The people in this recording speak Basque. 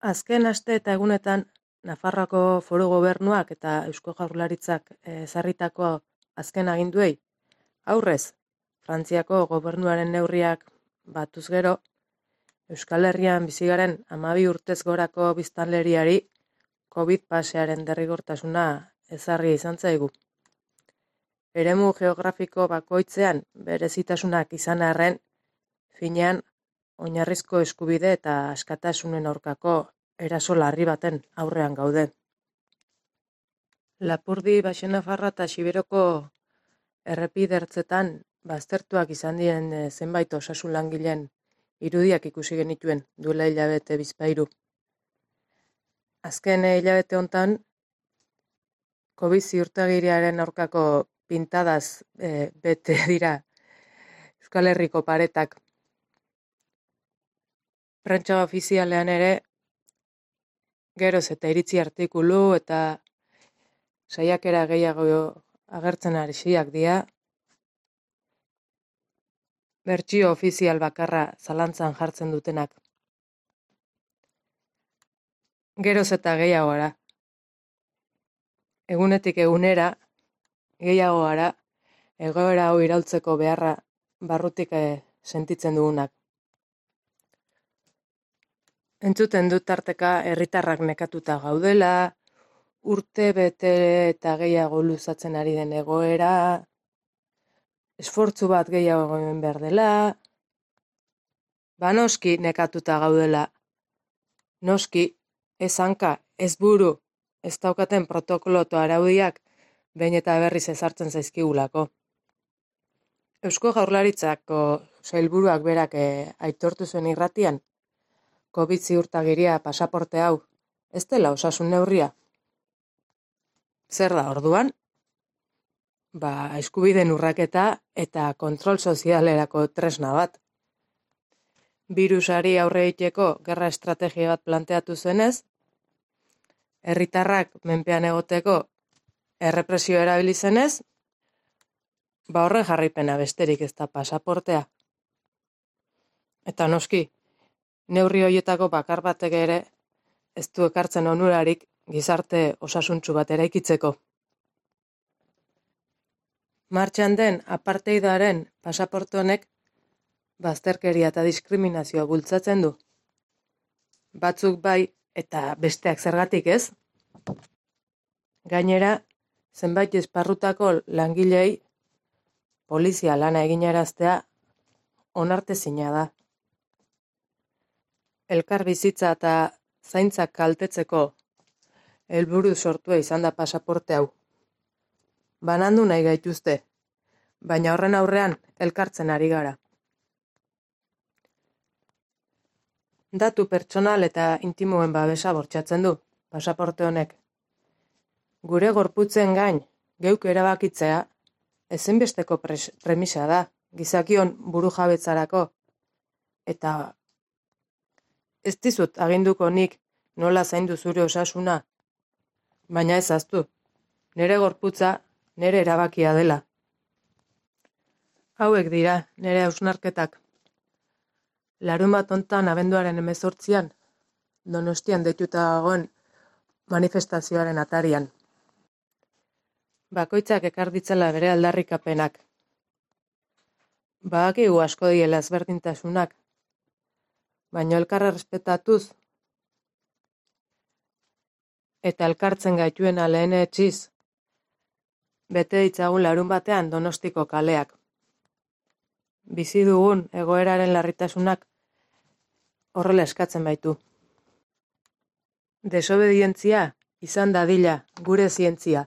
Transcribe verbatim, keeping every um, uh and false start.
Azken aste eta egunetan, Nafarroako Foru Gobernuak eta Eusko Jaurlaritzak ezarritako azken aginduei aurrez, Frantziako gobernuaren neurriak batuz gero, Euskal Herrian bizi garen hamabi urtez gorako biztanleriari Covid pasearen derrigortasuna ezarri izan zaigu. Eremu geografiko bakoitzean berezitasunak izan arren, finean oinarrizko eskubide eta askatasunen aurkako eraso larri baten aurrean gaude. Lapurdi, Baxenafarra eta Xiberoko errepidertzetan baztertuak izan diren zenbait osasun langileen irudiak ikusi genituen duela hilabete bizpahiru. Azken hilabete hontan, Covid ziurtagiriaren aurkako pintadaz e, bete dira Euskal Herriko paretak. Prentsa ofizialean ere, geroz eta iritzi artikulu eta saiakera gehiago agertzen hasiak dira, bertsio ofizial bakarra zalantzan jartzen dutenak. Geroz eta gehiago gara. Egunetik egunera, gehiago gara, egoera hau iraultzeko beharra barrutik eh, sentitzen dugunak. Entzuten dut tarteka herritarrak nekatuta gaudela, urte bete eta gehiago luzatzen ari den egoera, esfortzu bat gehiago egin behar dela, ba noski nekatuta gaudela, noski ez hanka, ez buru, ez daukaten protokolo eta araudiak behin eta berriz ezartzen zaizkigulako. Eusko Jaurlaritzako sailburuak berak eh, aitortu zuen irratian, Covid ziurtagiria pasaporte hau, ez dela osasun neurria. Zer da orduan? Ba, eskubideen urraketa eta kontrol sozialerako tresna bat. Birusari aurre egiteko gerra estrategia bat planteatu zenez, herritarrak menpean egoteko errepresio erabili zenez, ba horren jarraipena besterik ez da pasaportea. Eta noski, neurri horietako bakar batek ere ez du ekartzen onurarik gizarte osasuntsu bat eraikitzeko. Martxan den apartheidaren pasaporte honek bazterkeria eta diskriminazioa bultzatzen du. Batzuk bai eta besteak zergatik ez? Gainera, zenbait esparrutako langilei polizia lana eginaraztea onartezina da. Elkar bizitza eta zaintzak kaltetzeko helburu sortua izan da pasaporte hau. Banandu nahi gaituzte, baina horren aurrean elkartzen ari gara. Datu pertsonal eta intimoen babesa bortxatzen du pasaporte honek. Gure gorputzen gain geuk erabakitzea ezinbesteko premisa da gizakion burujabetzarako eta ez dizut aginduko nik nola zaindu zure osasuna, baina ez ahaztu, nere gorputza nere erabakia dela. Hauek dira nere hausnarketak. Larunbat hontan abenduaren hemezortzian, Donostian deituta dagoen manifestazioaren atarian. Bakoitzak ekar ditzala bere aldarrikapenak. Badakigu asko diela ezberdintasunak, baina elkarra respetatuz eta elkartzen gaituena lehenetsiz, bete ditzagun larun batean Donostiko kaleak. Bizi dugun egoeraren larritasunak horrela eskatzen baitu. Desobedientzia izan dadila gure zientzia.